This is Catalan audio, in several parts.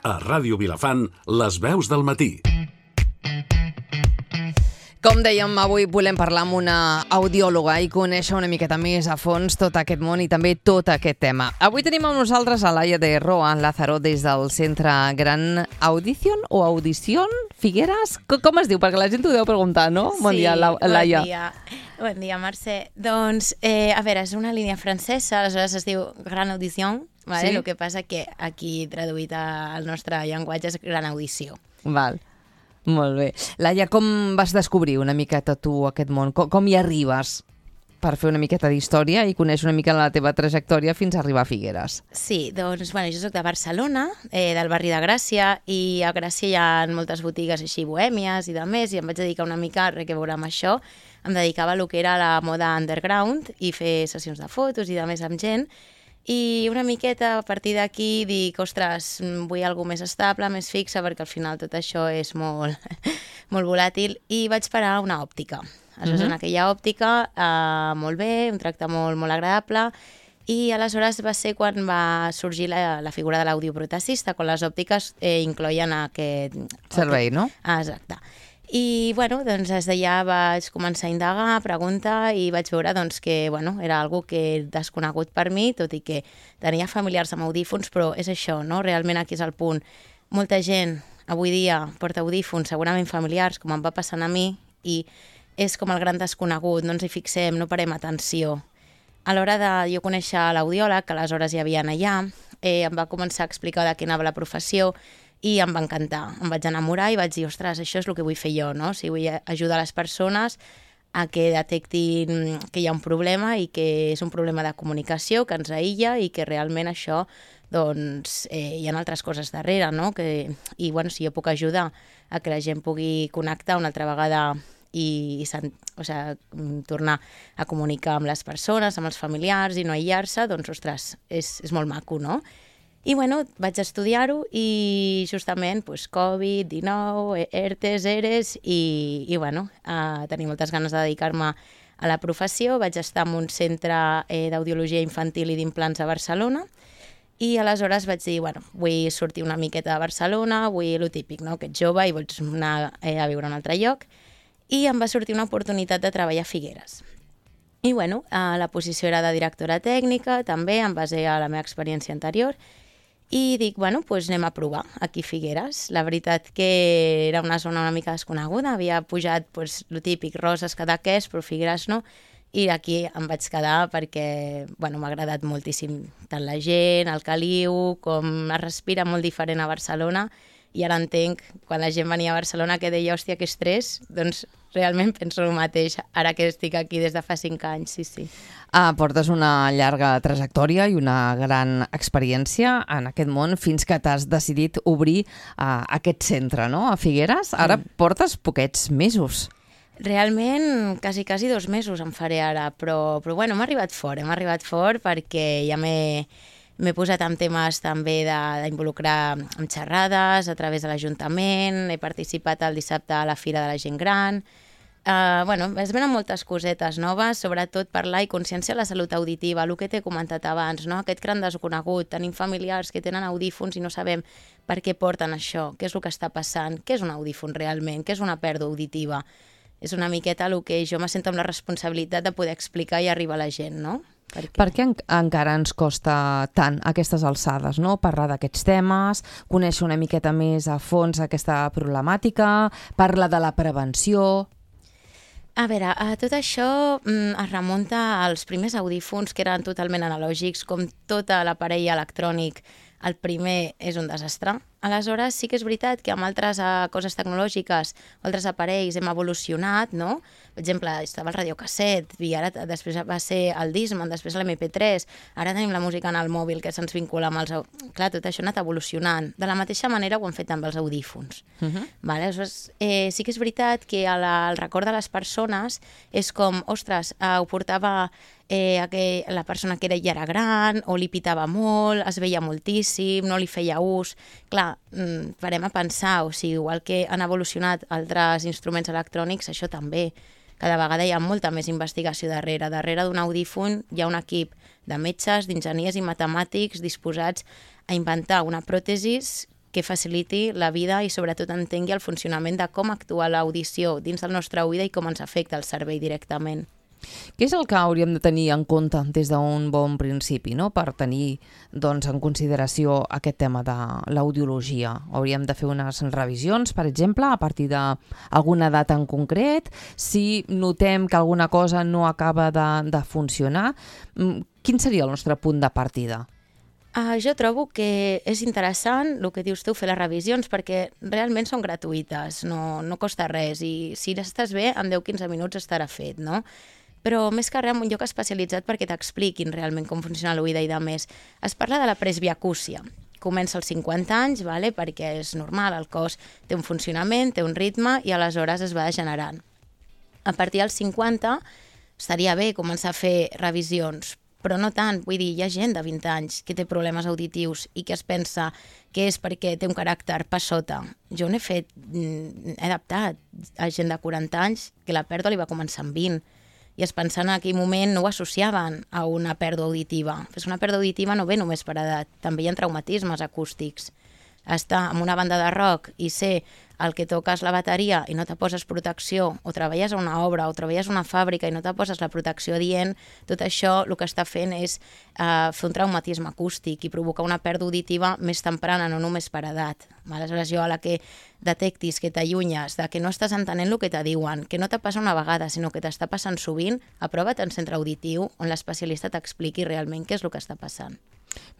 A Ràdio Vilafant, les veus del matí. Com dèiem, avui volem parlar amb una audiòloga i conèixer una miqueta més a fons tot aquest món i també tot aquest tema. Avui tenim amb nosaltres a Laia de Roa Lázaro des del Centre Gran Audición o Audición Figueres. Com es diu? Perquè la gent ho deu preguntar, no? Bon dia, Laia. Bon dia. Bon dia, Mercè. Doncs, a veure, és una línia francesa, aleshores es diu Gran Audición, vale? Sí. El que passa que aquí traduït al nostre llenguatge és Gran Audició. Val. Molt bé. Laia, com vas descobrir una miqueta tu aquest món? Com hi arribes per fer una miqueta d'història i conèixer una mica la teva trajectòria fins a arribar a Figueres? Sí, doncs, bueno, jo soc de Barcelona, del barri de Gràcia, i a Gràcia hi ha moltes botigues així bohèmies i de més, i em vaig dedicar una mica a res que veure amb això. Em dedicava a lo que era la moda underground i fer sessions de fotos i de més amb gent. I una miqueta a partir d'aquí dic, ostres, vull alguna més estable, més fixa, perquè al final tot això és molt, molt volàtil, i vaig parar a una òptica. Aleshores, en aquella òptica, molt bé, un tracte molt, molt agradable, i aleshores va ser quan va sorgir la figura de l'audioprotesista, quan les òptiques incloïen aquest Servei, no? Exacte. I, bueno, doncs des d'allà vaig començar a indagar, a preguntar, i vaig veure doncs, que bueno, era algo que desconegut per mi, tot i que tenia familiars amb audífons, però és això, no? Realment aquí és el punt. Molta gent avui dia porta audífons, segurament familiars, com em va passant a mi, i és com el gran desconegut, no ens hi fixem, no parem atenció. A l'hora de jo conèixer l'audiòleg, que aleshores hi havia allà, em va començar a explicar de què anava la professió, i em va encantar. Em vaig enamorar i vaig dir, ostres, això és el que vull fer jo, no? O sigui, vull ajudar les persones a que detectin que hi ha un problema i que és un problema de comunicació, que ens aïlla i que realment això, doncs, hi ha altres coses darrere, no? I, bueno, si jo puc ajudar a que la gent pugui connectar una altra vegada i tornar a comunicar amb les persones, amb els familiars i no aïllar-se, doncs, ostres, és molt maco, no? I, bueno, vaig estudiar-ho i justament, doncs, Covid-19, ERTES, ERES i bueno, tenia moltes ganes de dedicar-me a la professió. Vaig estar en un centre d'audiologia infantil i d'implants a Barcelona i aleshores vaig dir, bueno, vull sortir una miqueta de Barcelona, vull lo típic, no?, que ets jove i vols anar a viure a un altre lloc, i em va sortir una oportunitat de treballar a Figueres. I, bueno, la posició era de directora tècnica, també, en base a la meva experiència anterior, i dic, bueno, doncs anem a provar aquí a Figueres. La veritat que era una zona una mica desconeguda, havia pujat, doncs, lo típic, Roses, Cadaqués, però Figueres no, i aquí em vaig quedar perquè, bueno, m'ha agradat moltíssim tant la gent, el caliu, com es respira molt diferent a Barcelona, i ara entenc, quan la gent venia a Barcelona, que deia, hòstia, que estrès, doncs realment penso el mateix, ara que estic aquí des de fa 5 anys, sí. Portes una llarga trajectòria i una gran experiència en aquest món fins que t'has decidit obrir aquest centre, no?, a Figueres. Ara portes poquets mesos. Realment, quasi 2 mesos em faré ara, però bueno, hem arribat fort perquè ja m'he posat en temes també d'involucrar en xerrades a través de l'Ajuntament, he participat el dissabte a la Fira de la Gent Gran. Bueno, es venen moltes cosetes noves, sobretot parlar i consciència de la salut auditiva, el que t'he comentat abans, no? Aquest gran desconegut, tenim familiars que tenen audífons i no sabem per què porten això, què és el que està passant, què és un audífon realment, què és una pèrdua auditiva. És una miqueta el que jo me sento amb la responsabilitat de poder explicar i arribar a la gent, no? Per què encara ens costa tant a aquestes alçades, no?, parlar d'aquests temes, conèixer una miqueta més a fons aquesta problemàtica, parlar de la prevenció... A veure, tot això es remunta als primers audífons que eren totalment analògics, com tot l'aparell electrònic. El primer és un desastre. Aleshores, sí que és veritat que amb altres coses tecnològiques, altres aparells hem evolucionat, no? Per exemple, estava el radiocasset, i ara després va ser el Discman, després l'MP3, ara tenim la música en el mòbil que se'ns vincula amb els... Clar, tot això ha anat evolucionant. De la mateixa manera ho han fet amb els audífons. Vale? Aleshores, sí que és veritat que el record de les persones és com, ostres, ho portava la persona que ja era gran, o li pitava molt, es veia moltíssim, no li feia ús. Clar, parem a pensar, o sigui, igual que han evolucionat altres instruments electrònics, això també. Cada vegada hi ha molta més investigació darrere. Darrere d'un audífon hi ha un equip de metges, d'enginyers i matemàtics disposats a inventar una pròtesi que faciliti la vida i sobretot entengui el funcionament de com actua l'audició dins del nostre oïda i com ens afecta el cervell directament. Què és el que hauríem de tenir en compte des d'un bon principi, no? Per tenir en consideració aquest tema de l'audiologia? Hauríem de fer unes revisions, per exemple, a partir d'alguna data en concret? Si notem que alguna cosa no acaba de funcionar, quin seria el nostre punt de partida? Jo trobo que és interessant el que dius tu, fer les revisions, perquè realment són gratuïtes, no costa res, i si estàs bé, en 10-15 minuts estarà fet, no? Però més que res, en un lloc especialitzat perquè t'expliquin realment com funciona l'oïda i de més. Es parla de la presbiacúsia. Comença als 50 anys, perquè és normal, el cos té un funcionament, té un ritme i aleshores es va degenerant. A partir dels 50 estaria bé començar a fer revisions, però no tant. Vull dir, hi ha gent de 20 anys que té problemes auditius i que es pensa que és perquè té un caràcter passota. Jo n'he fet, he adaptat a gent de 40 anys que la pèrdua li va començar amb 20 i es pensaven en aquell moment, no ho associaven a una pèrdua auditiva. Però una pèrdua auditiva no ve només per edat, també hi ha traumatismes acústics. Estar en una banda de rock i ser el que toques la bateria i no te poses protecció, o treballes a una obra o treballes a una fàbrica i no te poses la protecció adient, tot això el que està fent és fer un traumatisme acústic i provocar una pèrdua auditiva més temprana, no només per edat. Aleshores, jo a la que detectis que t'allunyes, de que no estàs entenent el que te diuen, que no te passa una vegada, sinó que t'està passant sovint, aprova't en centre auditiu on l'especialista t'expliqui realment què és el que està passant.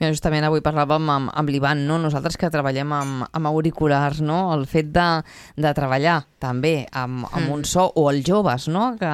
Mira, justament avui parlàvem amb l'Ivan, no? Nosaltres que treballem amb auriculars, no? El fet de treballar també amb un so, o els joves, no? Que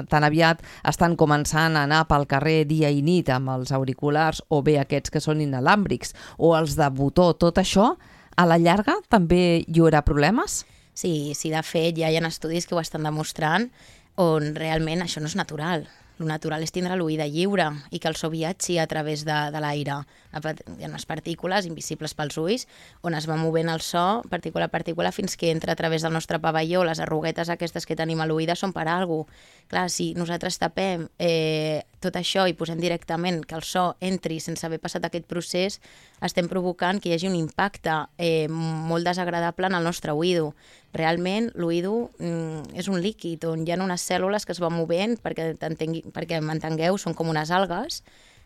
tan aviat estan començant a anar pel carrer dia i nit amb els auriculars, o bé aquests que són inalàmbrics, o els de botó, tot això, a la llarga també hi haurà problemes? Sí, de fet ja hi ha estudis que ho estan demostrant on realment això no és natural. El natural és tindre l'oïda lliure i que el so viatgi a través de l'aire. Hi ha unes partícules invisibles pels ulls on es va movent el so, partícula a partícula, fins que entra a través del nostre pavelló. Les arruguetes aquestes que tenim a l'oïda són per alguna cosa. Clar, si nosaltres tapem tot això i posem directament que el so entri sense haver passat aquest procés, estem provocant que hi hagi un impacte molt desagradable en el nostre oïdo. Realment, l'oïdo és un líquid on hi ha unes cèl·lules que es van movent, perquè m'entengueu, són com unes algues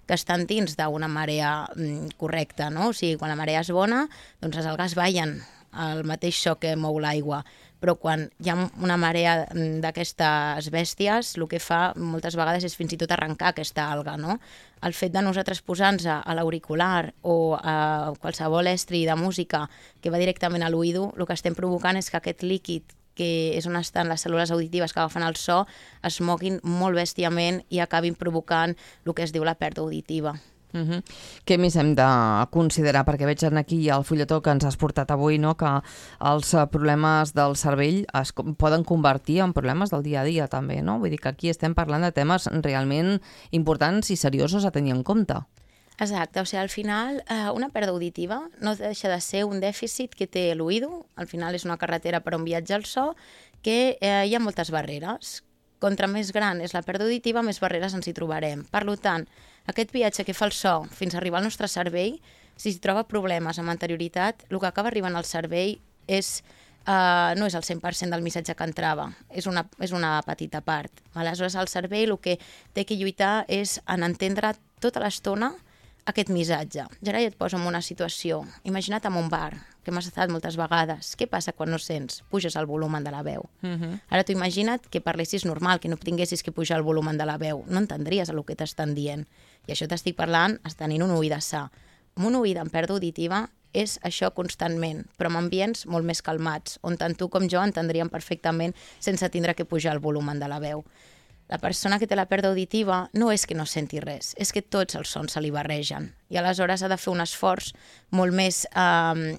que estan dins d'una marea correcta, no? O sigui, quan la marea és bona, doncs les algues ballen el mateix so que mou l'aigua. Però quan hi ha una marea d'aquestes bèsties, el que fa moltes vegades és fins i tot arrencar aquesta alga, no? El fet de nosaltres posar-nos a l'auricular o a qualsevol estri de música que va directament a l'oïdo, el que estem provocant és que aquest líquid, que és on estan les cèl·lules auditives que agafen el so, es moguin molt bèstiament i acabin provocant el que es diu la pèrdua auditiva. Què més hem de considerar? Perquè veig aquí al fulletó que ens has portat avui, no? Que els problemes del cervell es poden convertir en problemes del dia a dia també, no? Vull dir que aquí estem parlant de temes realment importants i seriosos a tenir en compte. Exacte, o sigui, al final una pèrdua auditiva no deixa de ser un dèficit que té l'oïdo, al final és una carretera per on viatja el so, que hi ha moltes barreres. Contra més gran és la pèrdua auditiva, més barreres ens hi trobarem. Per tant, aquest viatge que fa el so fins a arribar al nostre cervell, si troba problemes amb anterioritat, el que acaba arribant al cervell no és el 100% del missatge que entrava, és una petita part. Aleshores, el cervell el que té que lluitar és en entendre tota l'estona aquest missatge. Ja ara ja et poso en una situació. Imagina't en un bar, que m'has estat moltes vegades. Què passa quan no sents? Puges el volum de la veu. Ara tu imagina't que parlessis normal, que no tinguessis que pujar el volum de la veu. No entendries el que t'estan dient. I això t'estic parlant tenint un oïda sa. Amb un oïda en pèrdua auditiva és això constantment, però en ambients molt més calmats, on tant tu com jo entendríem perfectament sense tindre que pujar el volum de la veu. La persona que té la pèrdua auditiva no és que no senti res, és que tots els sons se li barregen. I aleshores ha de fer un esforç molt més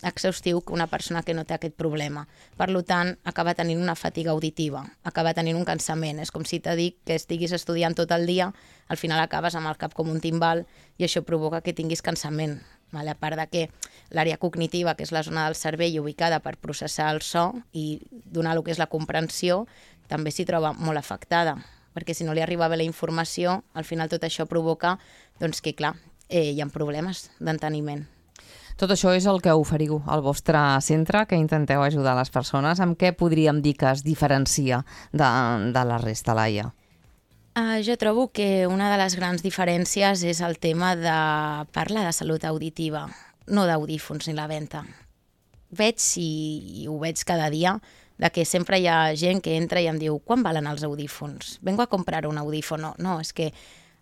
exhaustiu que una persona que no té aquest problema. Per tant, acaba tenint una fatiga auditiva, acaba tenint un cansament. És com si t'he dit que estiguis estudiant tot el dia, al final acabes amb el cap com un timbal i això provoca que tinguis cansament. A part de que l'àrea cognitiva, que és la zona del cervell ubicada per processar el so i donar el que és la comprensió, també s'hi troba molt afectada, perquè si no li arriba bé la informació, al final tot això provoca que, clar, hi ha problemes d'enteniment. Tot això és el que oferiu al vostre centre, que intenteu ajudar les persones. Amb què podríem dir que es diferencia de la resta, Laia? Jo trobo que una de les grans diferències és el tema de parlar de salut auditiva, no d'audífons ni la venda. Veig, i ho veig cada dia, de que sempre hi ha gent que entra i em diu «Quan valen els audífons? Vengo a comprar un audífono». No, és que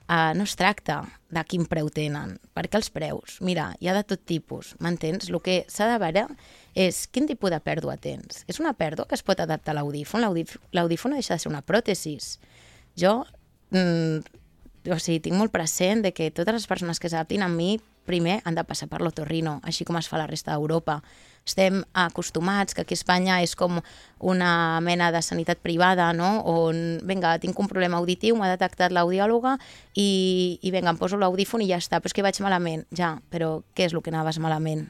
no es tracta de quin preu tenen, perquè els preus, mira, hi ha de tot tipus, m'entens? El que s'ha de veure és quin tipus de pèrdua tens. És una pèrdua que es pot adaptar a l'audífon? L'audífon deixa de ser una pròtesis. Jo tinc molt present de que totes les persones que s'adaptin a mi primer han de passar per l'otorrino, així com es fa a la resta d'Europa. Estem acostumats que aquí a Espanya és com una mena de sanitat privada, no? On, vinga, tinc un problema auditiu, m'ha detectat l'audiòloga i vinga, em poso l'audífon i ja està. Però és que vaig malament. Ja, però què és el que anaves malament?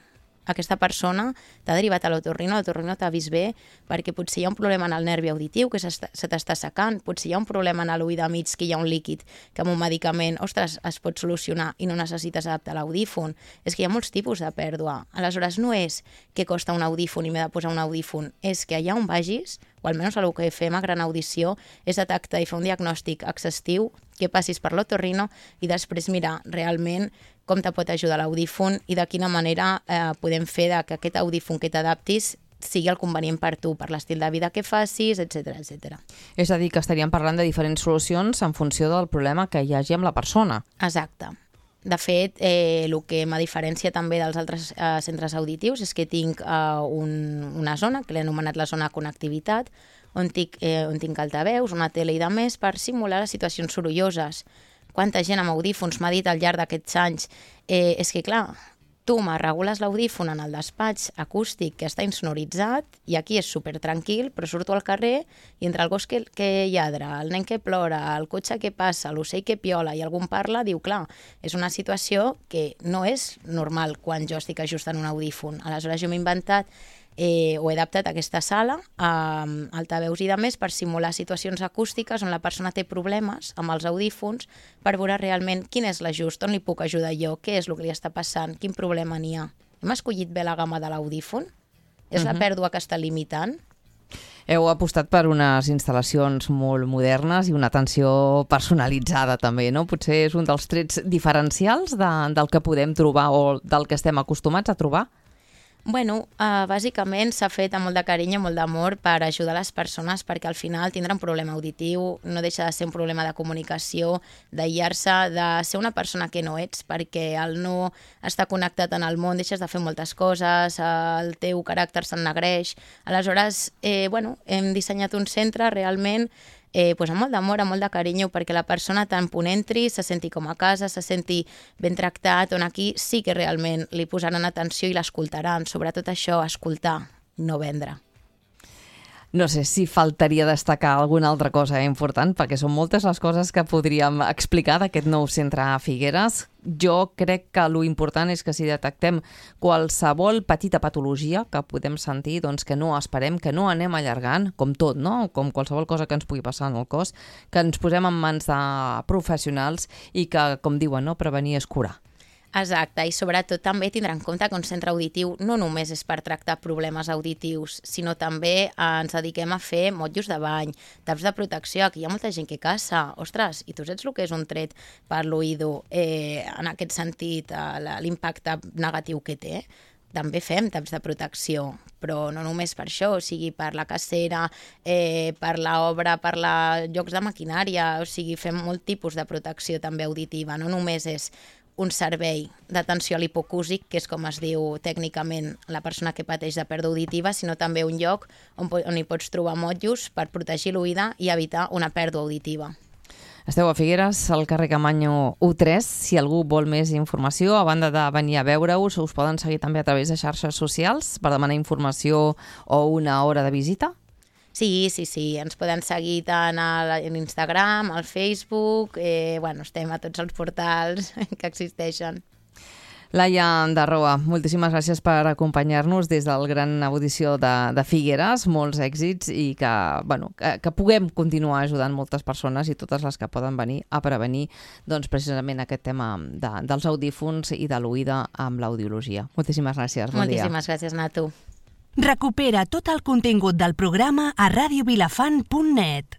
Aquesta persona t'ha derivat a l'otorrino t'ha vist bé perquè potser hi ha un problema en el nervi auditiu que se t'està secant, potser hi ha un problema en l'oïda mig que hi ha un líquid que amb un medicament, ostres, es pot solucionar i no necessites adaptar l'audífon. És que hi ha molts tipus de pèrdua. Aleshores, no és que costa un audífon i m'he de posar un audífon, és que allà on vagis, o almenys el que fem a Gran Audició, és detectar i fer un diagnòstic exhaustiu, que passis per l'otorrino i després mirar realment com te pot ajudar l'audífon i de quina manera podem fer que aquest audífon que t'adaptis sigui el convenient per tu, per l'estil de vida que facis, etc etc. És a dir, que estaríem parlant de diferents solucions en funció del problema que hi hagi amb la persona. Exacte. De fet, el que m'ha diferència també dels altres centres auditius és que tinc una zona, que l'he anomenat la zona connectivitat, on tinc altaveus, una tele i de més per simular les situacions sorolloses. Quanta gent amb audífons m'ha dit al llarg d'aquests anys és que, clar, tu me regules l'audífon en el despatx acústic que està insonoritzat i aquí és super tranquil, però surto al carrer i entre el gos que lladra, el nen que plora, el cotxe que passa, l'ocell que piola i algú parla, diu, clar, és una situació que no és normal quan jo estic ajustant un audífon. Aleshores jo m'he inventat o he adaptat aquesta sala a altaveus i de més per simular situacions acústiques on la persona té problemes amb els audífons per veure realment quin és l'ajust, on li puc ajudar jo, què és el que li està passant, quin problema n'hi ha. Hem escollit bé la gamma de l'audífon? És la pèrdua que està limitant? Heu apostat per unes instal·lacions molt modernes i una atenció personalitzada també, no? Potser és un dels trets diferencials del que podem trobar o del que estem acostumats a trobar? Bueno, bàsicament s'ha fet amb molt de carinyo, molt d'amor per ajudar les persones perquè al final tindre un problema auditiu no deixa de ser un problema de comunicació, d'aïllar-se, de ser una persona que no ets perquè al no estar connectat en el món deixes de fer moltes coses, el teu caràcter s'ennegreix. Aleshores, hem dissenyat un centre realment amb molt d'amor, amb molt de carinyo, perquè la persona tant punt entri, se senti com a casa, se senti ben tractat, on aquí sí que realment li posaran atenció i l'escoltaran. Sobretot això, escoltar, no vendre. No sé si faltaria destacar alguna altra cosa important, perquè són moltes les coses que podríem explicar d'aquest nou centre a Figueres. Jo crec que lo important és que si detectem qualsevol petita patologia que podem sentir, doncs que no esperem, que no anem allargant, com tot, no? Com qualsevol cosa que ens pugui passar en el cos, que ens posem en mans de professionals i que, com diuen, no? Prevenir és curar. Exacte, i sobretot també tindrà en compte que un centre auditiu no només és per tractar problemes auditius, sinó també ens dediquem a fer motllos de bany, taps de protecció, que hi ha molta gent que caça. Ostres, i tu saps el que és un tret per l'oïdo en aquest sentit, l'impacte negatiu que té? També fem taps de protecció, però no només per això, o sigui, per la cacera, per l'obra, per llocs de maquinària, o sigui, fem molt tipus de protecció també auditiva, no només és un servei d'atenció a l'hipocúsic, que és com es diu tècnicament la persona que pateix de pèrdua auditiva, sinó també un lloc on hi pots trobar motllos per protegir l'oïda i evitar una pèrdua auditiva. Esteu a Figueres, al carrer Camanyo 1-3. Si algú vol més informació, a banda de venir a veure-us, us poden seguir també a través de xarxes socials per demanar informació o una hora de visita? Sí, ens poden seguir tant a l'Instagram, al Facebook, estem a tots els portals que existeixen. Laia de Roa, moltíssimes gràcies per acompanyar-nos des del Gran Audició de Figueres, molts èxits i que puguem continuar ajudant moltes persones i totes les que poden venir a prevenir precisament aquest tema dels audífons i de l'oïda amb l'audiologia. Moltíssimes gràcies. Bon dia. Moltíssimes gràcies, Natu. Recupera tot el contingut del programa a radiovilafant.net.